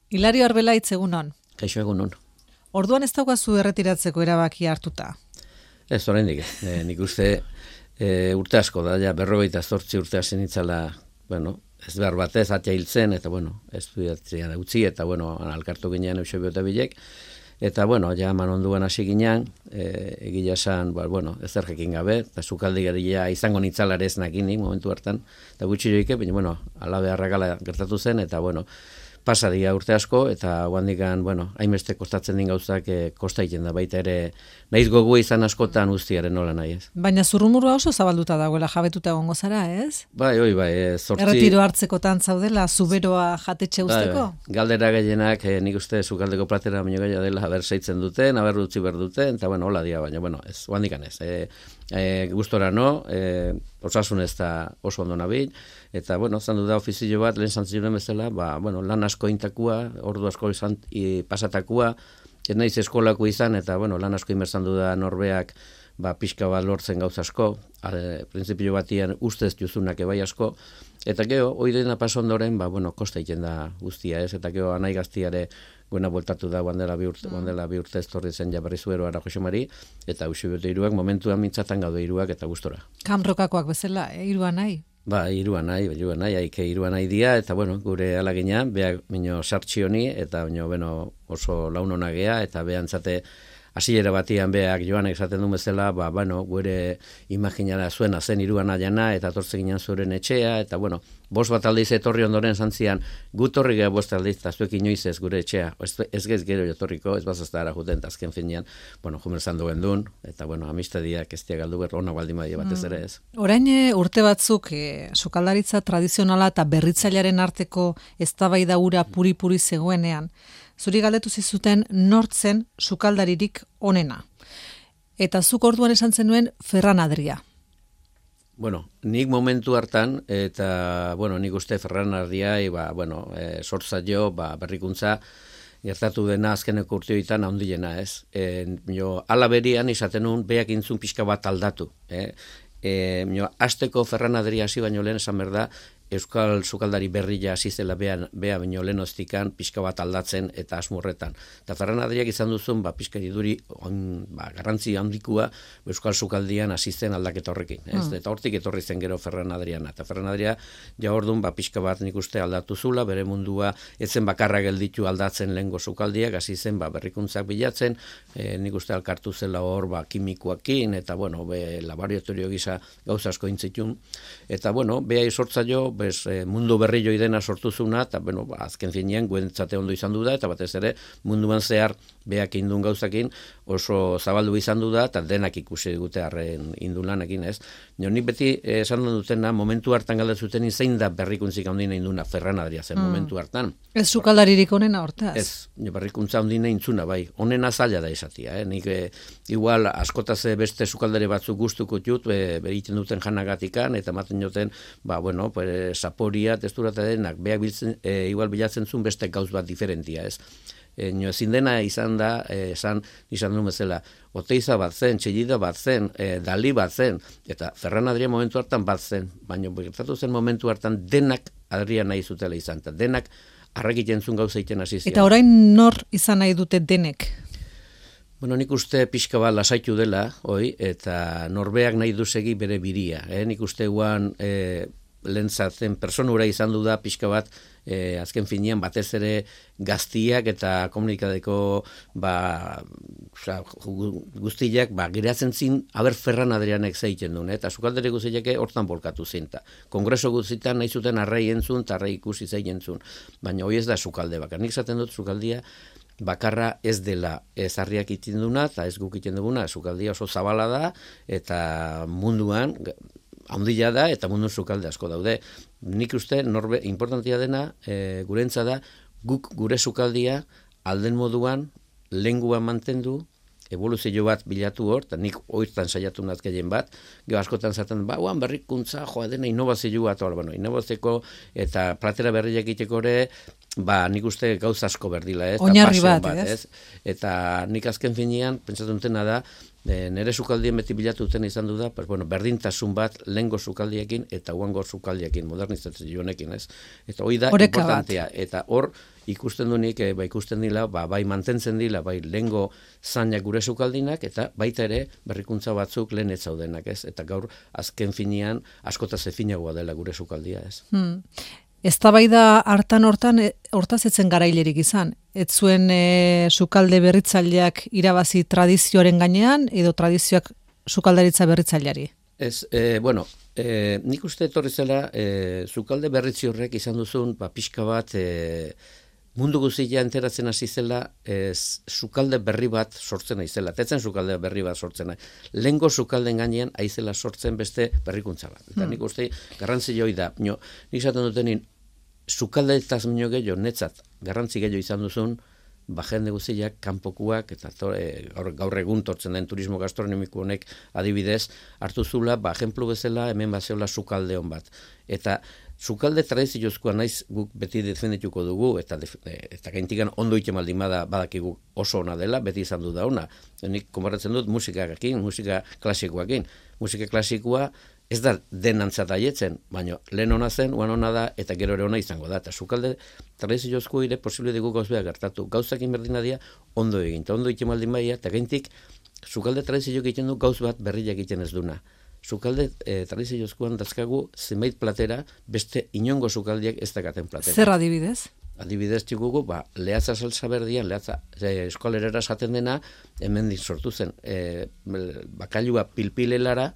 Hilario Arbelaitz, egunon. Kaixo, egunon. Orduan ez daukazu erretiratzeko erabaki hartuta? Ez, oraindik. Nik uste urte asko da, ja, 58 urte hasi nitzala, ez behar batez, atia hiltzen, eta, estudiatzea utzi, eta, alkartu ginean Eusebio eta Bilek, eta, ja, manonduan hasi ginean, egila esan, ez errekin gabe, eta sukaldi geria izango nitzalare ez nakinik momentu hartan, eta gutxi joike, baina, ala beharrakala gertatu zen, eta, pasadia urte asko, eta guandikan, hainbeste kostatzen din gauzak kosta egiten da, baita ere, nahiz gogu izan askotan guztiaren nola nahi ez. Baina zurrumurua oso zabalduta dagoela, jabetuta egongo zara, ez? Bai, zortzi... Erretiro hartzekotan zaudela, zuberoa jatetxe usteko? Bai. Galdera gehienak, nik uste sukaldeko platera baino gaia dela, haber seitzen duten, haber utzi berduten, eta hola dia, baina, ez, guandikan ez. Gustora no, osasun ez da oso ondo nabil, eta, zandu da ofizio bat, lehen zantzioen bezala, lan asko intakua, ordu asko izan pasatakua, ez naiz eskolako izan, eta, lan asko inbertzandu da norbeak, pixka bat lortzen gauz asko, printzipio batian ustez juzunak ebai asko, eta geho, hoi dena paso ondoren, kosta egiten da guztia, ez, eta geho, anai gaztiare guena bueltatu da, guandela bi urte estorri zen jabarri zuero ara Josemari, eta Eusebio iruak momentuan mintzatan gaude iruak eta gustora. Kamrokakoak bezala, irua nahi? Irua nahi, haike irua nahi dia, eta gure alagina, beak minio sartxioni, eta oso launona gea, eta behantzate hasiera batian beak joanek esaten du bezala, gure imaginara zuena zen iruan aiana, eta tortzen ginen zuren etxea, eta bost bat aldiz etorri ondoren zantzian, gut horri geha bost aldiz, eta zuek inoiz ez gure etxea, ez gez gero jotorriko, ez bazazta ara juten, azken finean, jumerzan duen duen, eta amistadiak ez galdu berro, ona baldin badia batez ere ez. Orain urte batzuk, sukaldaritza tradizionala eta berritzailearen arteko eztabaida ura puri-puri zegoenean, zuri galdetu zizuten nortzen sukaldaririk onena. Eta zuk orduan esan zenuen Ferran Adria. Nik momentu hartan, eta, nik uste Ferran Adriai, sortza jo, berrikuntza, gertatu dena azkeneko urteoitan handiena, ez? Ala berian izaten nun, beak intzun pixka bat aldatu. Azteko Ferran Adria hasi baino lehen esan berda, Euskal sukaldari berria hasi zela bea baino lehenoztikan pixka bat aldatzen eta asmurretan. Eta Ferran Adriak izan duzun, pixka iduri garrantzi handikua Euskal sukaldian hasi zen aldaketa horrekin. Eta hortik etorri zen gero Ferran Adriana. Eta Ferran Adria ja orduan pixka bat nik uste aldatu zula, bere mundua etzen bakarra gelditu aldatzen lehengo sukaldiak, hasi zen berrikuntzak bilatzen, nik uste alkartu zela hor kimikoakin, eta laboratorio gisa gauza asko intzitun. Eta behai sortza jo, mundu berri joi dena sortuzuna, eta azken finean guentzate ondo izan du da, eta batez ere munduan zehar beak indun gauzakin oso zabaldu izan du da, eta denak ikusi dute harren indulanekin, ez? Nik beti esan dutena, momentu hartan galdetzuten zein da berrikuntzik handina induna Ferran Adria zen momentu hartan. Ez sukaldaririk onena hortaz? Ez, berrikuntza handina intzuna, bai. Onena zaila da esatia, Nik igual askotaz beste sukaldari batzuk gustuko jut, egiten duten janagatikan, eta maten joten, saporia, testura eta denak, beak igual bilatzen zuen beste gauz bat diferentia, ez? Ezin dena izan da, izan du bezala, Oteiza bat zen, Txellida bat zen, Dali bat zen, eta Ferran Adria momentu hartan bat zen, baina gertatu zen momentu hartan denak Adria nahi zutela izan, eta denak arrakiten zuen gauza iten hasi zian. Eta orain nor izan nahi dute denek? Nik uste pixka bat lasaitu dela, eta norbeak nahi duzegi bere biria. Nik uste guan lentzatzen personura izan du da pixka bat azken finean batez ere gaztiak eta komunikadeko guztiak geratzen zin haber Ferran Adrianek zeiten duen, eta sukaldere guztiak hortan bolkatu zinta. Kongreso guztietan nahi zuten arrei entzun eta arrei ikusi zeiten zuen, baina hoi ez da sukalde bakar. Nik zaten dut sukaldia bakarra ez dela ezarriak iten duna eta ez guk iten duguna, sukaldia oso zabala da eta munduan handia da eta mundu sukalde asko daude. Nik uste importantia dena gurentza da guk gure sukaldia alden moduan lenguan mantendu, evoluzio bat bilatu hor, eta nik oiztan saiatu nazkeien bat, gero askotan zaten, berrikuntza, dena innovazio bat, innovazioko eta platera berriak iteko ere, nik uste gauz asko berdila, ez? Oinarri bat, ez? Eta nik azken finean, pentsatu dutena da, nire sukaldien beti bilatu duten izan du da, berdintasun bat lehengo sukaldiekin eta huango sukaldiekin, modernizazio honekin, ez? Eta hori da importantea, eta hor ikusten dunik, ikusten dila, bai mantentzen dila, bai lehengo zainak gure sukaldinak, eta baita ere berrikuntza batzuk lehen ez zaudenak, ez? Eta gaur azken finean askotaz efinagoa dela gure sukaldia, ez? Eztabaida hortaz etzen garailerik izan. Ez zuen sukalde berritzaileak irabazi tradizioaren gainean, edo tradizioak sukaldaritza berritzaileari? Ez, nik uste etorri zela, sukalde berritzi horrek izan duzun, pixka bat, mundu guztia enteratzen hasi zela, sukalde berri bat sortzen aizela. Tetzen sukalde berri bat sortzen. Lehengo sukalden gainean aizela sortzen beste berrikuntza bat. Eta nik uste garrantzi joi da. Nik esaten dutenin, sukalde eta minio gehiago, netzat, garrantzi gehiago izan duzun, jende guztiak, kanpokuak, eta gaur egun tortzen den turismo gastronomiko honek adibidez, hartu zula, ejemplu bezala, hemen bazeola sukalde hon bat. Eta sukalde tradiziozkoa naiz guk beti defendituko dugu, eta gaintikan ondo itemaldi badakigu oso ona dela, beti izan du da ona. Nik konbaratzen dut musikarekin, musika klasikoakin. Musika klasikoa ez da denantzat aietzen, baina lehen ona zen, oan ona da, eta gero ere ona izango da. Eta sukalde tradiziozko ere posible dugu gauzbeak gertatu. Gauzakin berdina dia ondo egin, eta ondo itemaldin baia, eta gaintik sukalde tradiziozko egiten du gauz bat berriak egiten ez duna. Sukalde tradiziozkoan dazkagu zenbait platera, beste inongo sukaldiak ez dakaten platera. Zer adibidez? Adibidez tigugu, lehatza salsa berdian, lehatza eskolerera esaten dena, hemen sortu zen. Bakailua pilpilelara,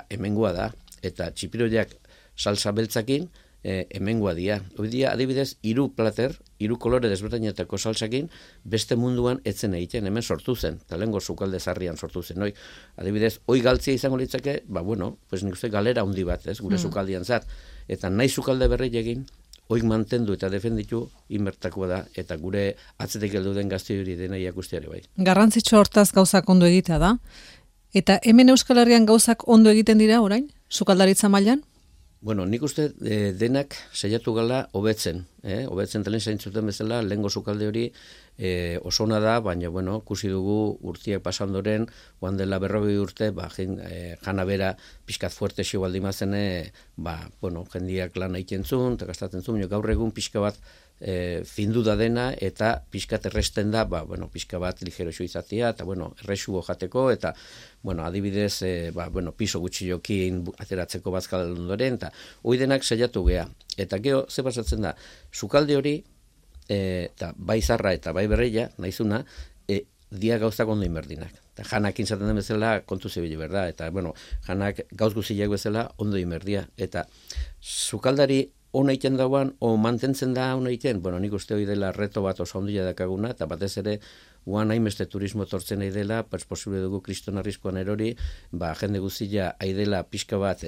hemengoa da, eta txipiroiak salsa beltzakin, hemengoa dia. Hoi dia, adibidez, 3 plater, 3 kolore desberdinetako salsakin, beste munduan etzen egiten, hemen sortu zen, eta lehengo sukalde zarrian sortu zen. Adibidez, hoi galtzia izango litzake, nik uste galera handi bat, gure sukaldian zat, eta nahi sukalde berri egin, hoik mantendu eta defenditu inbertakoa da, eta gure atzetik heldu den gazte hori dena iakusteare bai. Garrantzitsu hortaz gauzak ondo egitea da, eta hemen Euskal Herrian gauzak ondo egiten dira orain, sukaldaritza mailan? Nik uste denak saiatu gala hobetzen, hobetzen talen zaintzuten bezala, lehengo sukalde hori oso ona da, baina, ikusi dugu urtiak pasandoren, oan dela 40 urte, jana bera pixkat fuerte xio baldimazen, jendiak lan egiten zuen, eta gastatzen zuen, gaur egun pixka bat findu da dena, eta pixkat erresten da, pixka bat ligero xo izatea, eta, errexugo jateko, eta, adibidez, piso gutxiokin ateratzeko bazkal ondoren, eta hoi denak saiatu gea. Eta gero, ze pasatzen da, sukalde hori, eta bai zarra eta bai berreia, nahizuna, dia gauzak ondo inberdinak. Eta janak inzaten den bezala kontu zebile berda, eta, janak gauz guziak bezala ondo inberdia. Eta sukaldari ona egiten dauan, o mantentzen da ona egiten, nik uste hori dela reto bat oso ondia dakaguna, eta batez ere, guan hainbeste turismo tortzen nahi dela, posible dugu kriston arrizkoan erori, jende guztia aidela pixka bat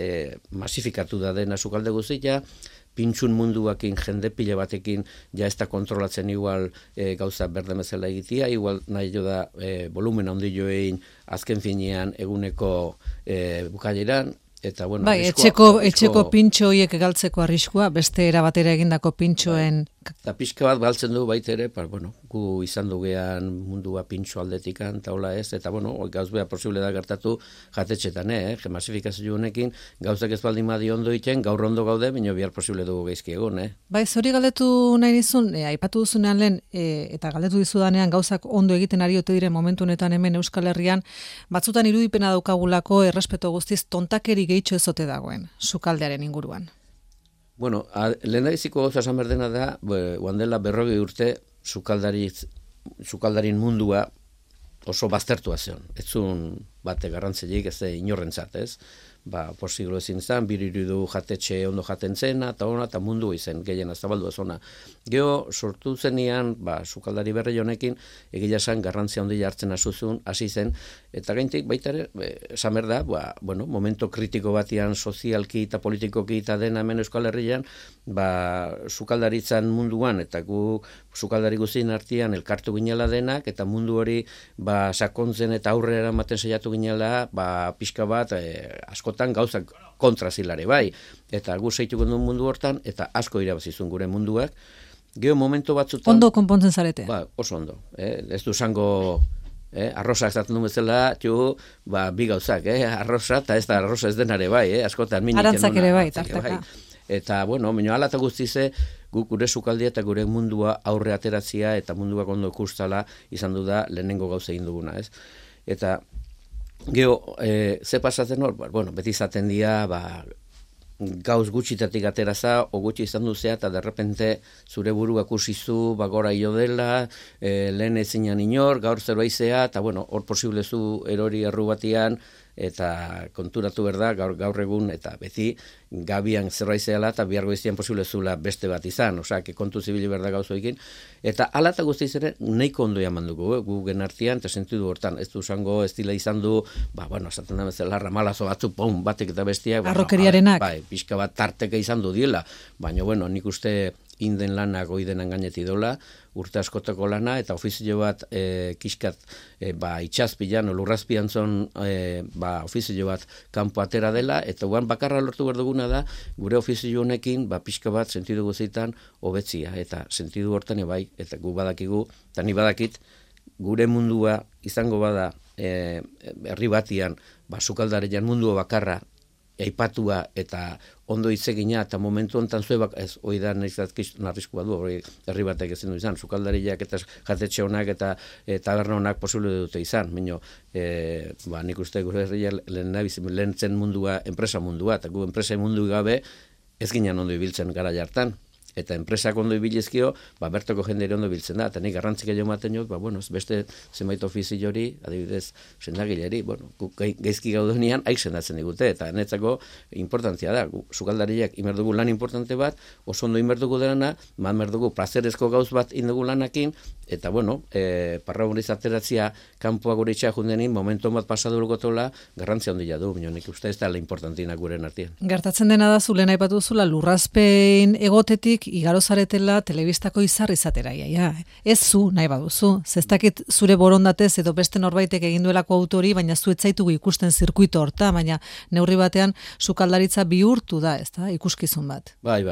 masifikatu da dena sukalde guztia, pintxun munduakin, jende pila batekin, ja ez da kontrolatzen igual gauza berde bezala egitea, igual nahi jo da volumen handi joein azken finean eguneko bukaileran, eta etxeko pintxo horiek galtzeko arriskua, beste erabatera egindako pintxoen... Eta pixka bat galtzen du baita ere, gu izan dugean mundua pintxo aldetikan, eta hola ez, eta gauzbea posible da gertatu jatetxetan, masifikazio honekin, gauzak ez baldin badi ondo iten, gaur ondo gaude, baina bihar posible dugu gaizki egon, Zori galdetu nahi nizun, aipatu duzunean lehen, eta galdetu dizudanean gauzak ondo egiten ari ote diren momentu honetan hemen Euskal Herrian, batzutan irudipena daukagulako errespeto guztiz tontakeri gehitxo ezote dagoen, sukaldearen inguruan. Lehendabiziko gauza esan berdena da, oan dela 40 urte sukaldarin mundua oso baztertua zion. Ez zuen bate garrantzilik, ez inorrentzat, ez? Posiglo ezin zen, biriru jatetxe ondo jaten zena, eta mundu izen, gehien zabaldu ez ona. Gero, sortu zenian, sukaldari berri honekin, egia esan garrantzia ondia hartzen hasi zen, eta gaintik baita ere, esan berda, momento kritiko batian sozialki eta politikoki eta dena hemen Euskal Herrian, sukaldaritzan munduan, eta gu sukaldari guztien artean elkartu ginela denak, eta mundu hori sakontzen eta aurrera ematen saiatu ginela, pixka bat, askotan gauzak kontrazilare bai, eta gu zeituko duen mundu hortan, eta asko irabazizun gure munduak. Gero momento batzutan... Ondo konpontzen zarete? Oso ondo. Ez du zango arroza ezaten duen bezala, bi gauzak, arroza, eta ez da arroza ez denare bai, askotan minik. Arantzak ere bai, tartaka. Eta, mino ala eta guztize, gure sukaldia eta gure mundua aurre ateratzia eta mundua ondo ikustala izan du da lehenengo gauza egin duguna, ez? Eta gero, ze pasatzen hor? Bueno, beti izaten dira, gauz gutxitatik ateraza, o gutxi izan duzea, eta derrepente zure burua kusizu, gora io dela, lehen ezinan inor, gaur zerbaizea, eta bueno, hor posible zu erori erru batian, eta konturatu berda, gaur egun, eta beti gabian zerbaizeala, eta bihar goiztian posible zula beste bat izan, osea, kontu zibili berda gauzoekin, eta ala eta guztiz ere, nahiko ondo jaman dugu, gu genartian, eta sentidu hortan, ez du zango, ez dila izan du, bueno, esaten da bezala, ramalazo batzu, batek eta bestiak, arrokeriarenak. Pixka bat tarteka izan du diela, baina, bueno, nik uste inden lana goidenan gaineti dola, urte askotako lana, eta ofizio bat kiskat itxazpilan, lurrazpian zon ofizio bat kanpo atera dela, eta guan bakarra lortu behar duguna da, gure ofizio honekin, pixka bat sentidu guzitan hobetzia, eta sentidu hortan ebai, eta gu badakigu, eta ni badakit, gure mundua izango bada herri batian, sukaldarean mundua bakarra, aipatua eta ondo hitzegina eta momentu hontan zuebak ez oida narriskua du herri batek ezin du izan sukaldariak eta jatetxe honak eta taberna honak posible dute izan baino nik uste gure herria lehentzen mundua enpresa mundua eta gu enpresa mundu gabe ez ginen ondo ibiltzen gara jartan eta enpresak ondo ibilizkio, bertoko jendere ondo biltzen da, eta nik garrantzik egin maten jok, beste zenbait ofizio hori, adibidez, sendagileri, gaizki gaudenean, haik sendatzen digute, eta netzako importantzia da, sukaldariak imerdugu lan importante bat, oso ondo imerdugu derana, imerdugu plazerezko gauz bat indugu lanakin, eta parra horiz ateratzia kanpoa gure itxea jundenin, momentu bat pasadurko tola, garrantzia ondila du, nik uste ez da la importantina guren artean. Gertatzen dena da, zule nahi batu zula, lurrazpein egotetik, igaro zaretela telebistako izar izatera, ez zu nahi baduzu, zestakit zure borondatez edo beste norbaitek eginduelako autori, baina zu etzaitugu ikusten zirkuito horta, baina neurri batean sukaldaritza bihurtu da, ez da, ikuskizun bat. Bai,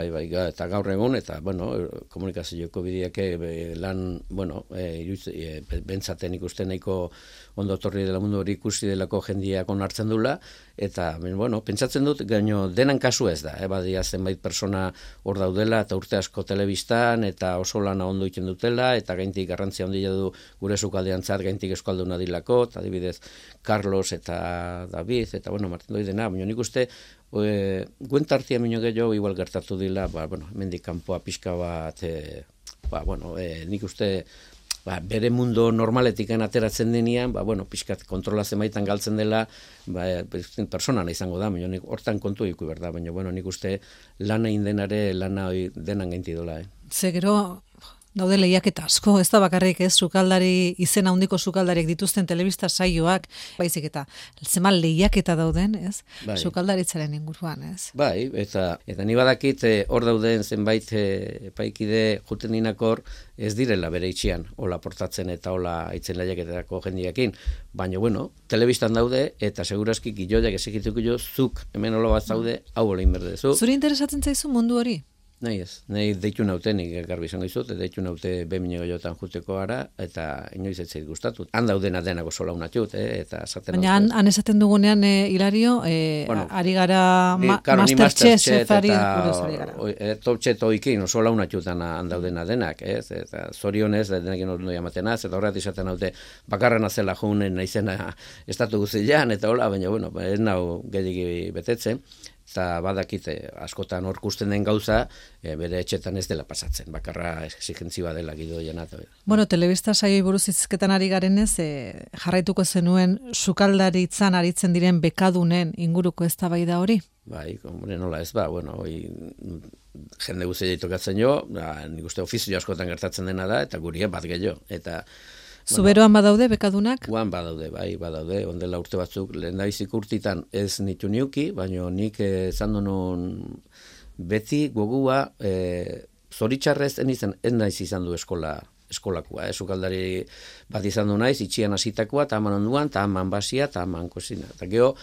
eta gaur egun, eta, komunikazioko bideak lan, bentsaten ikusten nahiko ondo torri dela mundu hori ikusi delako jendiak onartzen dula, eta, pentsatzen dut, gaino denan kasu ez da, badia zenbait persona hor daudela, eta urte asko telebistan, eta oso lana ondo iten dutela, eta gaintik garrantzia ondila du gure sukaldean zat, gaintik eskalduna dilako, eta adibidez Carlos eta David, eta Martin Doidena, baina nik uste, guentartia minio gehiago igual gertatu dila, hemendik kanpoa pixka bat, nik uste, bere mundo normaletikan ateratzen denean, pixkat kontrola zenbaitan galtzen dela, personana izango da, baina hortan kontu iku berda, baina nik uste lana indenare, lana denan gainti dola. Ze gero, daude lehiaketa asko, ez da bakarrik ez, sukaldari, izena handiko sukaldariak dituzten telebista saioak, baizik eta zemal lehiaketa dauden, ez? Sukaldaritzaren inguruan, ez? Bai, eta ni badakit hor dauden zenbait epaikide juten dinakor ez direla bere itxian, hola portatzen eta hola itzen lehiaketako jendiakin, baina telebistan daude eta segurazki gilloiak ezikituko jo, zuk hemen hola bat zaude, hau hola inberdezu. Zuri interesatzen zaizu mundu hori? Nahi ez, nahi deitu nautenik garbi izango izut, deitu naute behemine goiotan juteko gara, eta inoiz ez zait gustatu. Han daudena denako sola unatxut, eta esaten naute. Baina han esaten dugunean, Hilario, ari gara Masterchef ari gara. Topchet oikin, sola unatxutan han daudena denak, eta zorionez, denekin ondo jamatenaz, eta horret izaten naute, bakarren azela junen naizena estatu guzilean, eta hola, baina, ez nau gehiagi betetzen. Eta badakite, askotan hor kusten den gauza, bere etxetan ez dela pasatzen, bakarra exigentzia dela gidoian. Telebista saioi buruz izketan ari garenez, jarraituko zenuen sukaldaritzan aritzen diren bekadunen inguruko eztabaida hori? Bai, nola ez jende guztia tokatzen jo, nik uste ofizio askotan gertatzen dena da, eta guria bat gehiago, eta Zuberoan badaude, bekadunak? Guan badaude, badaude, ondela urte batzuk, lehen daizik urtitan ez nitu niuki, baina nik zandu nun beti gogua zoritxarrez ez naiz izan du eskolakua, sukaldari bat izan du naiz, itxian hasitakoa, eta haman onduan, eta haman basia, eta haman kozina. Eta geho,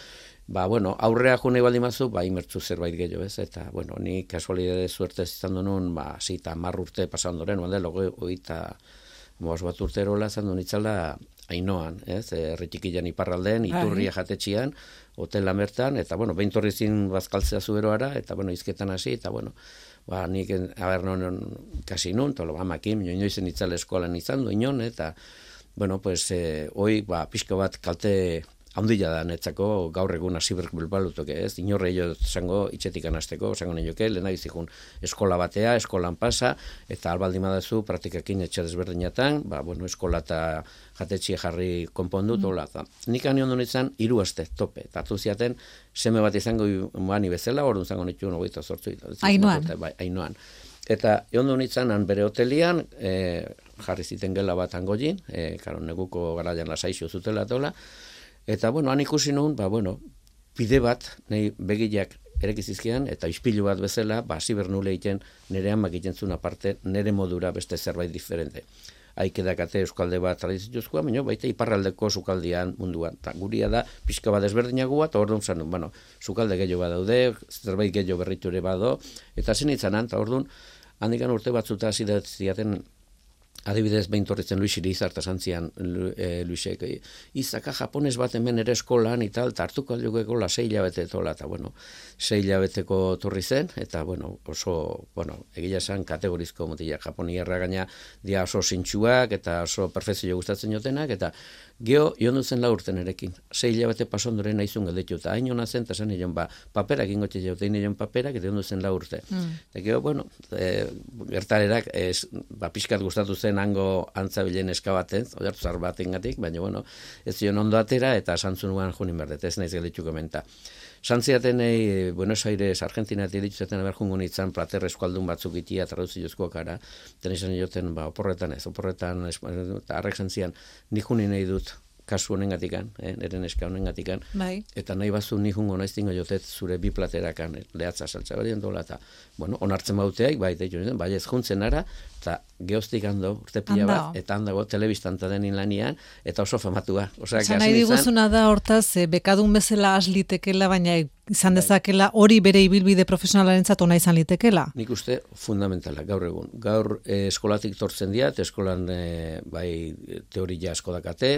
aurrea june baldi mazu, imertzu zerbait gehiago ez, eta, ni kasualidade zuertez izan du nun, zita marrurte pasandoren, oita bat urterola zandu nitzala Ainoan, erretikilan iparralden, Iturria jatetxian, hotel lamertan, eta, behin torrizin bazkaltzea zuberoara, eta, izketan hasi, eta, nik, non kasi nun, tolo, amakin, inoizen itzale eskolan izan du, inon, eta, bueno, pues, hoi, pixka bat kalte handia da netzako gaur egun hasiberk bilbalutoke, ez? Inorre jo zango itxetik anasteko, zango nioke, lehena izikun eskola batea, eskolan pasa, eta albaldi madazu praktikakin etxe desberdinatan, bueno, eskola eta jatetxia jarri konpondu, tola. Nik anion duen izan, 3 aste, tope. Tatu ziaten, seme bat izango mani bezala, orduan zango nitu 28. Ainoan. Eta egon duen izan, bere hotelian, jarri ziten gela bat angolin, neguko garaian lasaixo zutela tola, eta, bueno, han ikusi nun, bide bat, nahi begiak erekizizkian, eta ispilu bat bezala, zibernule egiten, nire amak egiten zuen aparte, nire modura beste zerbait diferente. Aikedakate euskalde bat tradizituzkoa, baina baita iparraldeko sukaldian munduan. Ta guria da, pixka bat ezberdinagoa, eta orduan zanun, sukalde gehiago badaude, zerbait gehiago berritu ere bado, eta zen itzanan, eta orduan, handikan urte batzuta zidatzen, adibidez, behin torritzen Luisiri izarta zantzian, Luisek, izaka japones bat hemen ere eskolan, eta hartuko aldugeko 6 hilabete tola, eta, 6 hilabeteko torri zen, eta, oso, egia esan kategorizko mutila, Japoniarra gaina dia oso zintxuak, eta oso perfezio gustatzen jotenak, eta geho, joan duzen 4 urten erekin, 6 hilabete pasondoren naizun galdetu, eta hain hona zen, eta zen nion, paperak ingotxe jaute, nion paperak, eta joan duzen 4 urte. Eta geho, gertarerak, pixkat gustatu zen hango antzabilen eskabaten, oiartu zar batengatik, baina, ez zion ondo atera, eta santzunuan junin berdet, ez naiz gelditu komenta. Santziatenei, Buenos Aires, Argentina, dituzeten aberjungun itzan, plater eskualdun batzuk itia, traduziozkoak ara, ten izan joten, oporretan, eta arrek santzian, nik junin nahi dut, kasu honengatikan, neren eska honengatikan, eta nahi bazu nik jungo naiztingo jotet zure 2 platerakan, lehatza saltza berien dola, eta, onartzen bauteaik, bai ez juntzen ara, eta geoztik ando, urte pila bat, eta handago telebistanta denin lanian, eta oso famatua. Osa nahi diguzuna da hortaz, bekadun bezala has litekela, baina izan dezakela hori bere ibilbide profesionalarentzat ona izan litekela? Nik uste fundamentala, gaur egun. Gaur eskolatik tortzen diat, eskolan teoria asko dakate,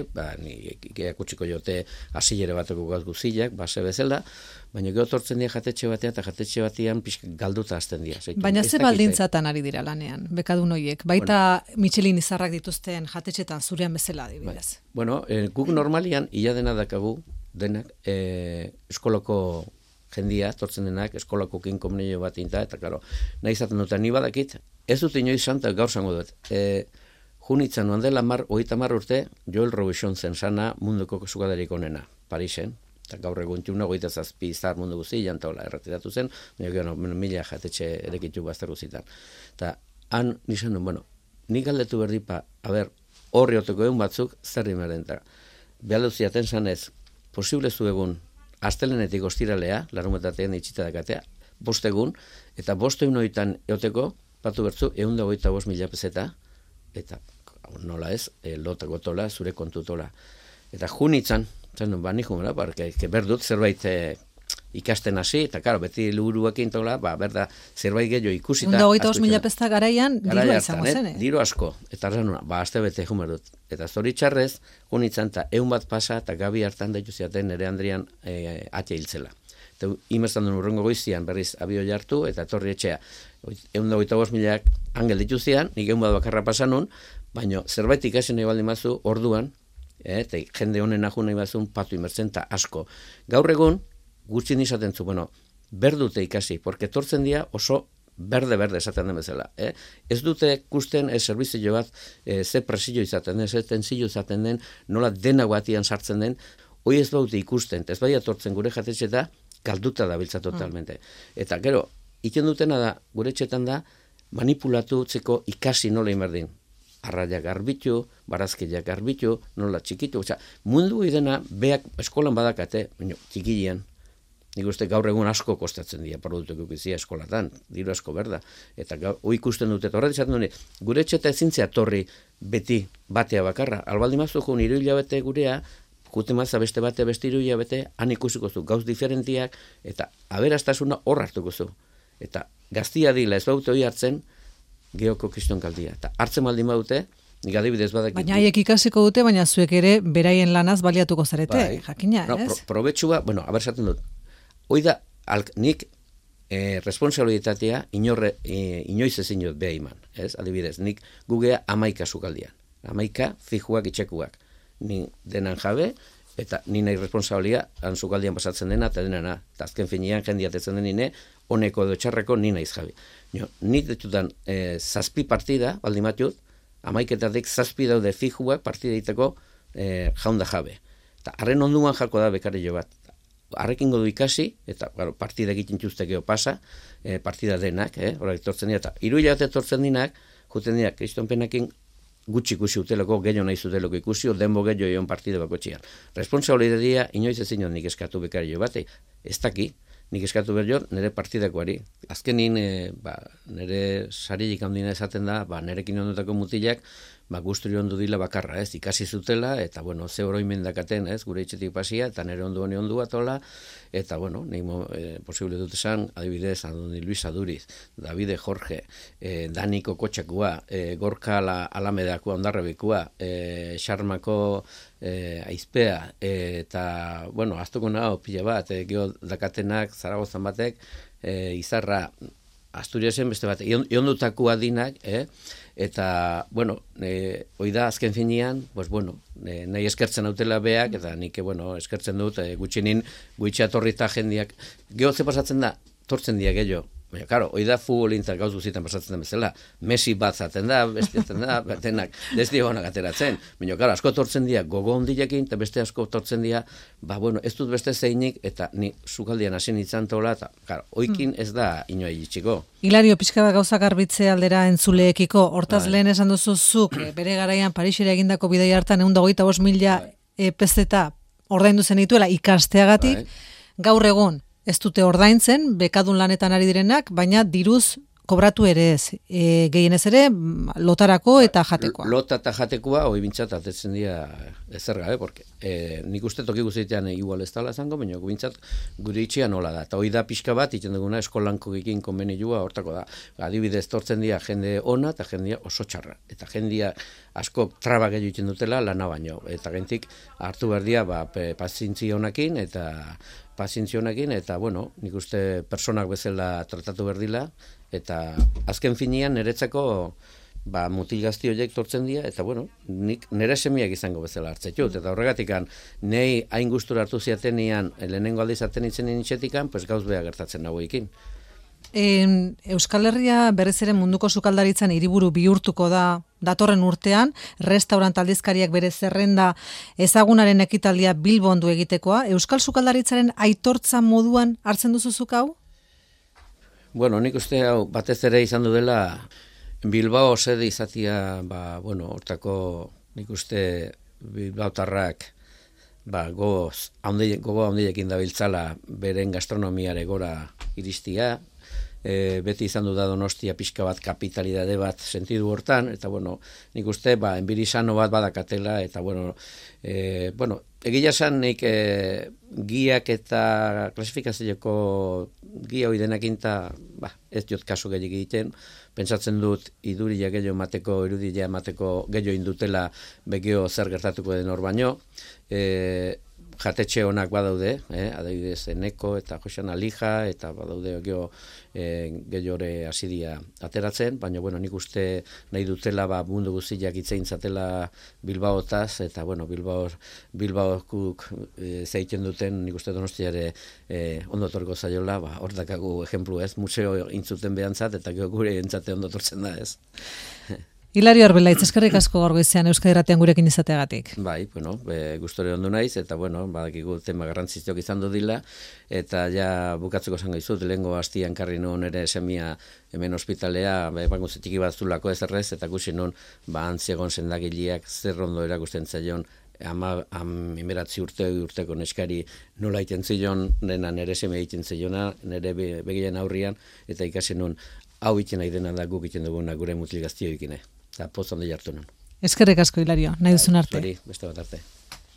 ikutsiko jote asilere bateko gauz guzilak, base bezala, baina gero tortzen dira jatetxe batean, eta jatetxe batean pixka galduta azten dira. Baina ze baldintzatan ari dira lanean, bekadun horiek, baita Michelin izarrak dituzten jatetxetan zurean bezala adibidez. Guk normalian, ia dena dakagu, denak, eskolako jendia, tortzen denak, eskolako kinkomunio bat inta, eta karo, nahi izaten dut, ni badakit, ez dut inoiz santa gaur zango dut. Junitzen nuan dela 30 urte, Joel Robuchon zen sana munduko sukadarik onena, Parisen, eta gaur egun 27 izar mundu guztian, eta erretiratu zen, mila jatetxe erekitu bazter guzitan. Eta han nizan duen, nik galdetu berdipa, horri oteko egun batzuk, zer rimeren, eta behaldu ziaten zanez, posible zu egun, astelenetik ostiralea, larumetatean itxita dakatea, 5 egun, eta 5 egun horietan eoteko, batu bertzu, 125.000 peseta, eta nola ez, lotako tola, zure kontu tola. Eta junitzen, nik jumela, berdut zerbait ikasten hasi, eta karo, beti luguruekin tola, berda, zerbait gehiago ikusita. 125.000 pesta garaian, dirua izango zen, Diru asko, eta arranuna, azte bete jumer dut. Eta zoritxarrez, junitzen, eta 1 bat pasa, eta gabi hartan daitu ziaten nere Andrian atea hiltzela. Eta imerzan duen urrengo goizian berriz abio jartu, eta etorri etxea. 125.000 angel dituzian, nik 1 bat bakarra pasanun, baina zerbait ikasen nahi baldin mazu, orduan, eta jende honen ahu nahi bazun, patu imertzen, eta asko. Gaur egun, gutxin izaten zu, berdute ikasi, porque tortzen dira oso berde esaten den bezala. Ez dute kusten servizio bat, ze presio izaten den, ze tensio izaten den, nola dena guatian sartzen den, hoi ez baute ikusten, ez bai atortzen gure jatetxeta, galduta da biltza totalmente. Eta gero, iten dutena da, gure etxetan da, manipulatu utzeko ikasi nola imerdin. Arraiak garbitu, barazkiak garbitu, nola txikitu. Mundu idena, beak eskolan badakate, txikilean, nik uste gaur egun asko kostatzen dira produktuko bizia eskolatan, diru asko berda. Eta hoi ikusten dute, eta horret esaten dut, gure etxeta ezintzea torri beti batea bakarra. Albaldi mazu jun 3 hilabete gurea, jute maza beste bate, beste 3 hilabete, han ikusiko zu gauz diferentiak, eta aberastasuna hor hartuko zu. Eta gaztia dila ez baute hori hartzen, geoko kriston kaldia. Eta hartzen baldin baute, nik adibidez badakit. Baina haiek ikasiko dute, baina zuek ere beraien lanaz baliatuko zarete, jakina, ez? Probetxua, abersaten dut, hoi da, nik responsabilitatea inoiz ezin dut beha iman. Ez? Adibidez, nik gugea 11 sukaldian. 11 fijuak itxekuak. Ni denan jabe, eta ni nahi responsabilia sukaldian pasatzen dena, eta denana. Eta azken finean jendiatetzen denine, honeko edo txarreko ni naiz jabe. Ni ditutan 7 partida, baldin batut, 11etatik 7 daude fijuak partida egiteko jaunda jabe. Eta harren onduan jako da bekario bat. Arrekingo du ikasi, eta partida egiten txustekeo pasa, partida denak, horak etortzen dira, eta 3 hilabete etortzen dinak, juten dira, kristonpenakin gutxi ikusi uteleko, gehiago nahi zuteleko ikusi, denbo gehiago egon partida bako txian. Responsabilitatea inoiz ezin nik eskatu bekario bat, ez daki, nik eskatu behar nire partidakoari. Azkenin, nire sarilik handina esaten da, nirekin ondutako mutilak, guzturi ondu dila bakarra, ez, ikasi zutela, eta, ze oroimen dakaten, ez, gure itxetik pasia, eta nire ondu honi ondu atola, eta, nahi posible dut esan, adibidez, Andoni Luis Aduriz, Davide Jorge, Daniko Kotxakua, Gorka Alamedakua, Ondarrebikua, Xarmako Aizpea, eta, aztuko nago, pila bat, geho dakatenak, Zaragozan batek, Izarra, Asturiasen beste bat, iondutakoa dinak, eta, hoi da, azken finean, nahi eskertzen hautela beak, eta nik, eskertzen dut, gutxinin, guitxatorrita jendiak, geho ze pasatzen da, tortzen dia gehiago. Baina, karo, hoi da futbolintzak gauz guzitan pasatzen den bezala. Messi bat zaten da, bestiaten da, denak, desdi honak ateratzen. Baina, karo, asko tortzen dira gogo ondilekin, eta beste asko tortzen dira, ez dut beste zeinik, eta ni sukaldian hasi nintzen tola, eta, karo, oikin ez da inoa iritsiko. Hilario, pixka bat gauzak arbitze aldera entzuleekiko, hortaz lehen esan duzuzuk, bere garaian Parisera egindako bidai hartan, 125.000 pezeta ordaindu zen dituela ikasteagatik, gaur egun, ez dute ordaintzen, bekadun lanetan ari direnak, baina diruz kobratu ere ez. Gehienez ere, lotarako eta jatekoa. Lota eta jatekoa, hoi bintzat, atetzen dira ezer gabe, porque nik uste toki guztitean igual ez dala zango, baina bintzat gure itxian nola da. Eta hoi da pixka bat, iten duguna eskolanko ekin konbenilua, hortako da. Adibidez, tortzen dira jende ona eta jendea oso txarra. Eta jendea asko traba gehiago iten dutela lana baino. Eta gentik hartu behar dira pazientzi honakin eta nik uste personak bezala tratatu berdila, eta azken finean niretzako mutil gazti horiek tortzen dira, eta nik nire semiak izango bezala hartzetut, eta horregatik nahi hain gustura hartu ziatenian, lehenengo aldiz aten itzen nintxetikan, gauz beha gertatzen nagoekin. Euskal Herria berriz ere munduko sukaldaritzan hiriburu bihurtuko da datorren urtean, restaurant aldizkariak bere zerrenda ezagunaren ekitaldia Bilbon du egitekoa. Euskal sukaldaritzaren aitortza moduan hartzen duzuzuk hau? Nik uste hau batez ere izan du dela Bilbao sede izatia, hortako nik uste Bilbaotarrak gogo handiekin dabiltzala beren gastronomiare gora iristia, beti izan du da Donostia pixka bat kapitalidade bat sentidu hortan, eta nik uste enbirisano bat badakatela, eta egia esan nik giak eta klasifikazioko gia hori denakin ez diot kasu gehiago egiten, pentsatzen dut iduria gehiago emateko, irudia emateko gehiago indutela begio zer gertatuko den hor baino, jatetxe honak badaude, adibidez Eneko eta Josean Alija, eta badaude gehiore asidia ateratzen, baina nik uste nahi dutela mundu guztiak itzein zatela Bilbaotaz, eta Bilbaokuk zeiten duten nik uste Donostiare ondotorko zaiola, hor dakagu ejemplu ez, museo intzuten behantzat, eta gure entzate ondotortzen da ez. Hilario Arbelaitz, eskerrik asko gaur goizean Euskadi Irratian gurekin izateagatik. Bai, gustore ondo naiz, eta badakigu tema garrantzitsuak izan dila, eta ja bukatzeko esango dizut, lehengo hastian karri nun ere semia hemen ospitalea, txiki bat zulako ez errez, eta gusi nun, antziegon sendagileak zer ondo erakusten zaion, emeratzi urteko neskari nola iten zion, nire semea iten ziona, nire begian aurrian, eta ikasi nun, hau iten nahi dena da guk iten duguna gure mutil gaztio ikine. Eta poz handi jartu nun. Eskerrik asko, Hilario, nahi duzun arte. Beste bat arte.